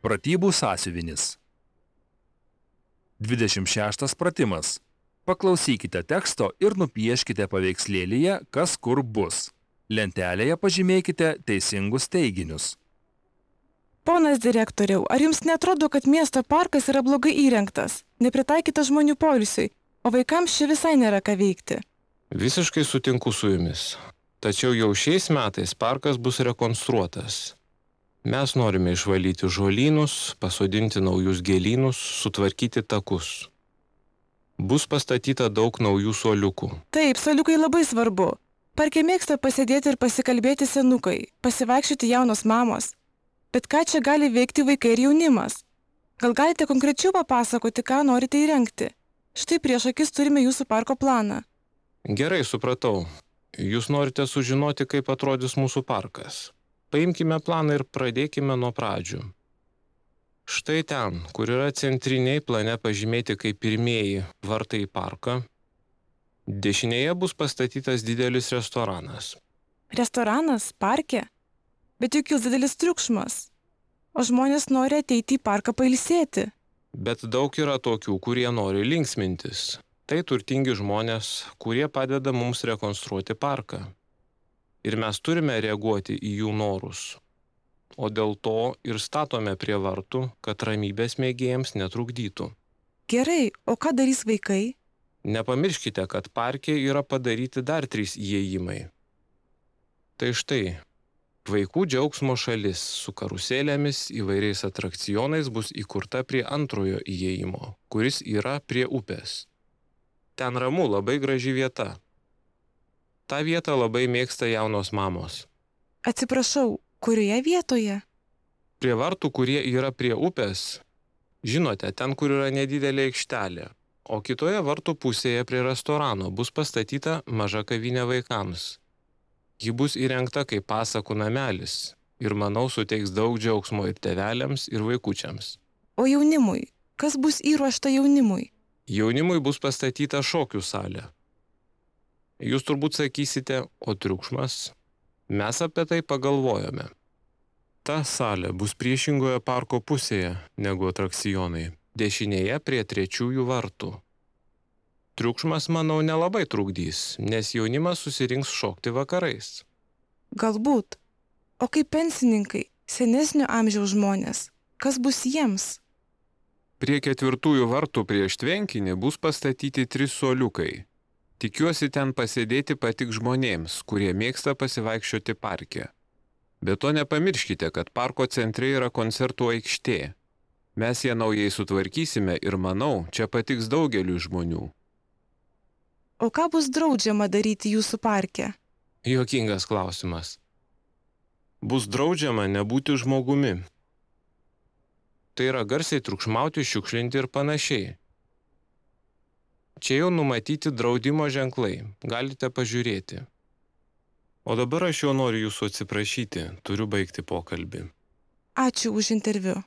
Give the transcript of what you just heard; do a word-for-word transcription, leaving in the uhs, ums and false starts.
Pratybų sąsiuvinis. dvidešimt šeštas pratimas. Paklausykite teksto ir nupieškite paveikslėlyje, kas kur bus. Lentelėje pažymėkite teisingus teiginius. Ponas direktoriau, ar jums netrodo, kad miesto parkas yra blogai įrengtas, nepritaikytas žmonių poilsiui, o vaikams čia visai nėra ką veikti? Visiškai sutinku su jumis. Tačiau jau šiais metais parkas bus rekonstruotas. Mes norime išvalyti žolynus, pasodinti naujus gėlynus, sutvarkyti takus. Bus pastatyta daug naujų suoliukų. Taip, suoliukai labai svarbu. Parke mėgsta pasėdėti ir pasikalbėti senukai, pasivaikščioti jaunos mamos. Bet ką čia gali veikti vaikai ir jaunimas? Gal galite konkrečiau papasakoti, ką norite įrengti? Štai prieš akis turime jūsų parko planą. Gerai, supratau. Jūs norite sužinoti, kaip atrodys mūsų parkas. Paimkime planą ir pradėkime nuo pradžių. Štai ten, kur yra centriniai plane pažymėti kaip pirmieji vartai į parką, dešinėje bus pastatytas didelis restoranas. Restoranas? Parke? Bet juk kils didelis triukšmas. O žmonės nori ateiti į parką pailsėti. Bet daug yra tokių, kurie nori linksmintis. Tai turtingi žmonės, kurie padeda mums rekonstruoti parką. Ir mes turime reaguoti į jų norus. O dėl to ir statome prie vartų, kad ramybės mėgėjams netrukdytų. Gerai, o ką darys vaikai? Nepamirškite, kad parke yra padaryti dar trys įėjimai. Tai štai, vaikų džiaugsmo šalis su karuselėmis įvairiais atrakcionais bus įkurta prie antrojo įėjimo, kuris yra prie upės. Ten ramu, labai graži vieta. Ta vieta labai mėgsta jaunos mamos. Atsiprašau, kurioje vietoje? Prie vartų, kurie yra prie upės. Žinote, ten, kur yra nedidelė aikštelė. O kitoje vartų pusėje prie restorano bus pastatyta maža kavinė vaikams. Ji bus įrengta kaip pasakų namelis. Ir manau, suteiks daug džiaugsmo ir tėveliams, ir vaikučiams. O jaunimui? Kas bus įruošta jaunimui? Jaunimui bus pastatyta šokių salė. Jūs turbūt sakysite, o triukšmas? Mes apie tai pagalvojome. Ta salė bus priešingoje parko pusėje negu atrakcionai, dešinėje prie trečiųjų vartų. Triukšmas, manau, nelabai trukdys, nes jaunimas susirinks šokti vakarais. Galbūt. O kaip pensininkai, senesnio amžiaus žmonės, kas bus jiems? Prie ketvirtųjų vartų prieš tvenkinį bus pastatyti trys suoliukai. Tikiuosi ten pasėdėti patik žmonėms, kurie mėgsta pasivaikščioti parke. Be to nepamirškite, kad parko centre yra koncertų aikštė. Mes ją naujai sutvarkysime ir manau, čia patiks daugeliui žmonių. O ką bus draudžiama daryti jūsų parke? Juokingas klausimas. Bus draudžiama nebūti žmogumi. Tai yra garsiai triukšmauti, šiukšlinti ir panašiai. Čia jau numatyti draudimo ženklai, galite pažiūrėti. O dabar aš jau noriu jūsų atsiprašyti, turiu baigti pokalbį. Ačiū už interviu.